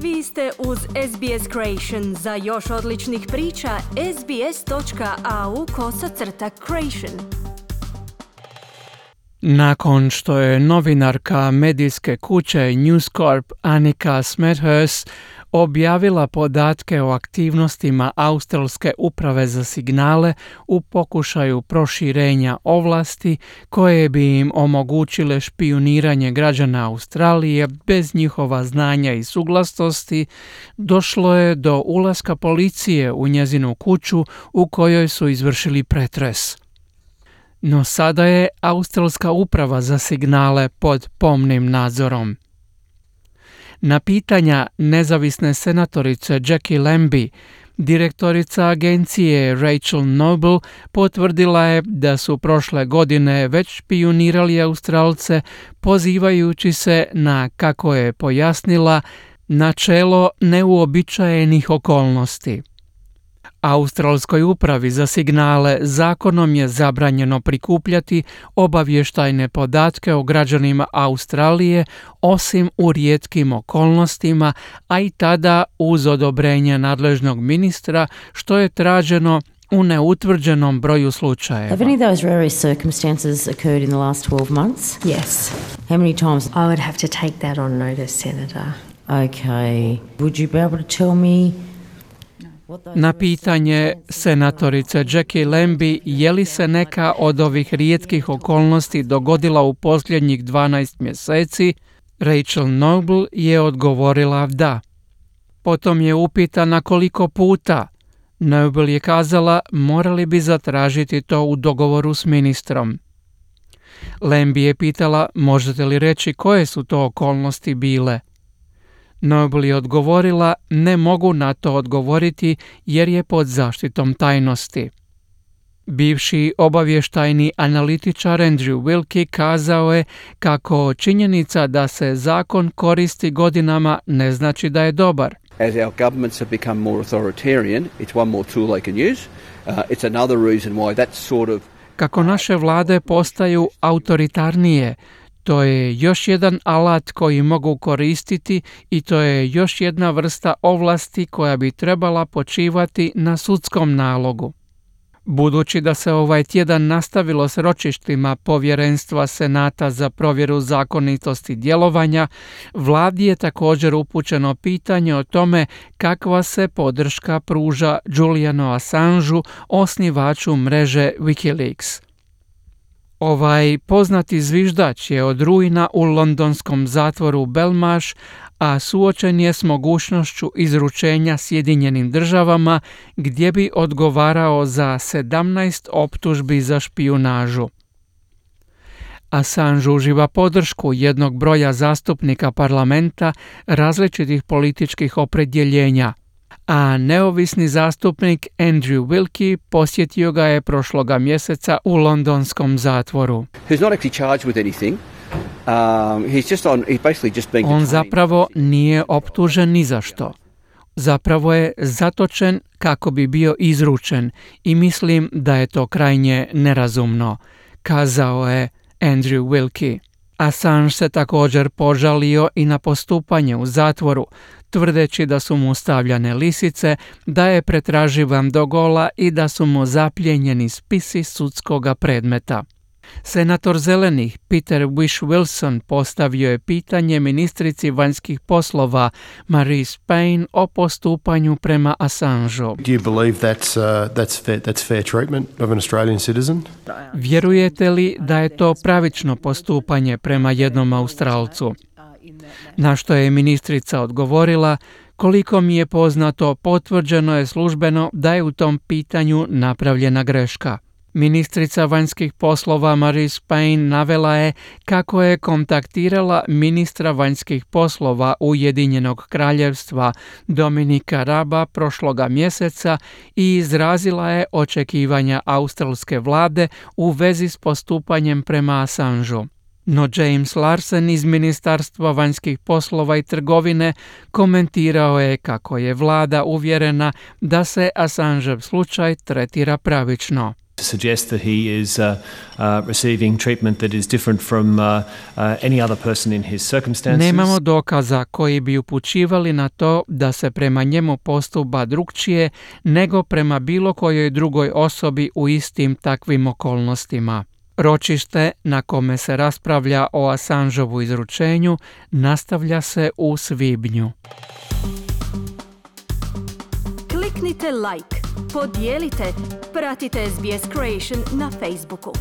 Vi ste uz SBS Creation. Za još odličnih priča, sbs.au/creation. Nakon što je novinarka medijske kuće News Corp Annika Smethurst objavila podatke o aktivnostima Australske uprave za signale u pokušaju proširenja ovlasti koje bi im omogućile špijuniranje građana Australije bez njihova znanja i suglasnosti, došlo je do ulaska policije u njezinu kuću u kojoj su izvršili pretres. No sada je Australska uprava za signale pod pomnim nadzorom. Na pitanja nezavisne senatorice Jackie Lambie, direktorica agencije Rachel Noble potvrdila je da su prošle godine već špijunirali Australce pozivajući se na, kako je pojasnila, načelo neuobičajenih okolnosti. Australskoj upravi za signale zakonom je zabranjeno prikupljati obavještajne podatke o građanima Australije osim u rijetkim okolnostima, a i tada uz odobrenje nadležnog ministra, što je traženo u neutvrđenom broju slučajeva. Have any of those rare circumstances occurred in the last 12 months? Yes. How many times? I would have to take that on notice, Senator. Okay. Would you be able to tell me? Na pitanje senatorice Jackie Lambie je li se neka od ovih rijetkih okolnosti dogodila u posljednjih 12 mjeseci, Rachel Noble je odgovorila da. Potom je upitana koliko puta. Noble je kazala morali bi zatražiti to u dogovoru s ministrom. Lambie je pitala možete li reći koje su to okolnosti bile. Noble je odgovorila ne mogu na to odgovoriti jer je pod zaštitom tajnosti. Bivši obavještajni analitičar Andrew Wilkie kazao je kako činjenica da se zakon koristi godinama ne znači da je dobar. As our governments have become more authoritarian, it's one more tool they can use. It's another reason why that sort of... Kako naše vlade postaju autoritarnije, to je još jedan alat koji mogu koristiti i to je još jedna vrsta ovlasti koja bi trebala počivati na sudskom nalogu. Budući da se ovaj tjedan nastavilo s ročištima Povjerenstva Senata za provjeru zakonitosti djelovanja, vladi je također upućeno pitanje o tome kakva se podrška pruža Julianu Assangeu, osnivaču mreže Wikileaks. Ovaj poznati zviždač je od rujna u londonskom zatvoru Belmarsh, a suočen je s mogućnošću izručenja Sjedinjenim državama gdje bi odgovarao za 17 optužbi za špijunažu. Assange uživa podršku jednog broja zastupnika parlamenta različitih političkih opredjeljenja, a neovisni zastupnik Andrew Wilkie posjetio ga je prošloga mjeseca u londonskom zatvoru. On zapravo nije optužen ni za što. Zapravo je zatočen kako bi bio izručen i mislim da je to krajnje nerazumno, kazao je Andrew Wilkie. Assange se također požalio i na postupanje u zatvoru, tvrdeći da su mu stavljane lisice, da je pretraživan do gola i da su mu zaplijenjeni spisi sudskoga predmeta. Senator Zelenih Peter Whish-Wilson postavio je pitanje ministrici vanjskih poslova Marise Payne o postupanju prema Assangeu. Do you believe that's fair treatment of an Australian citizen? Vjerujete li da je to pravično postupanje prema jednom Australcu? Na što je ministrica odgovorila, koliko mi je poznato, potvrđeno je službeno da je u tom pitanju napravljena greška. Ministrica vanjskih poslova Marise Payne navela je kako je kontaktirala ministra vanjskih poslova Ujedinjenog kraljevstva Dominika Raba prošloga mjeseca i izrazila je očekivanja australske vlade u vezi s postupanjem prema Assangeu. No James Larsen iz Ministarstva vanjskih poslova i trgovine komentirao je kako je vlada uvjerena da se Assangeov slučaj tretira pravično. to suggest that he is receiving treatment that is different from any other person in his circumstances. Nemamo dokaza koji bi upućivali na to da se prema njemu postupa drukčije nego prema bilo kojoj drugoj osobi u istim takvim okolnostima. Ročište na kome se raspravlja o Assangeovu izručenju nastavlja se u svibnju. Kliknite like, podijelite, pratite SBS Creation na Facebooku.